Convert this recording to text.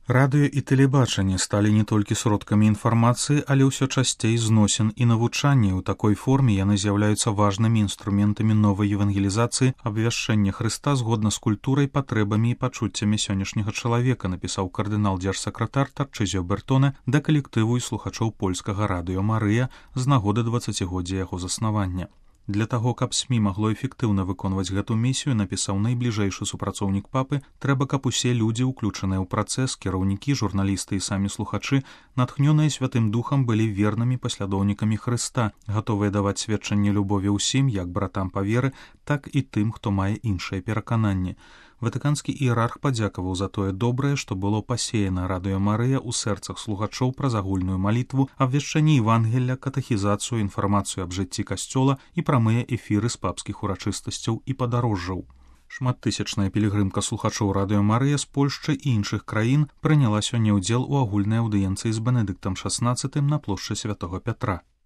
Радыё і тэлебачанне сталі не толькі сродкамі інфармацыі, але ўсё часцей зносін і навучання. У такой форме яны з'яўляюцца важнымі інструментамі новай евангелізацыі, абвяшчэння Хрыста згодна з культурай, патрэбамі і пачуццямі сённяшняга чалавека, напісаў кардынал-дзяржсакратар Тарчызіо Бертоне да калектыву і слухачоў польскага радыё Марыя з нагоды 20-годдзя яго заснавання. Для таго, каб СМІ магло эфектыўна выконваць гэту місію, напісаў найбліжэйшы супрацоўнік папы, трэба, каб усе людзі, уключаныя ў працэс, кіраўнікі, журналісты і самі слухачы, натхнёныя Святым Духам, былі вернымі паслядоўнікамі Хрыста, гатовыя даваць сведчанне любові ўсім, як братам па веры, так і тым, хто мае іншае перакананне. Ватыканскі іерарх падзякаваў за тое добрае, што было пасеяна радыё Марыя ў сэрцах слухачоў праз агульную малітву, абвяшчэнне Евангелля, катэхізацыю, інфармацыю аб жыцці касцёла і прамыя эфіры з папскіх урачыстасцяў і падарожжаў. Шматтысячная пілігрымка слухачоў радыё Марыя з Польшчы і іншых краін прыняла сёння ўдзел у агульнай аўдыенцыі з Бенедыктам XVI на плошчы Святога Пятра.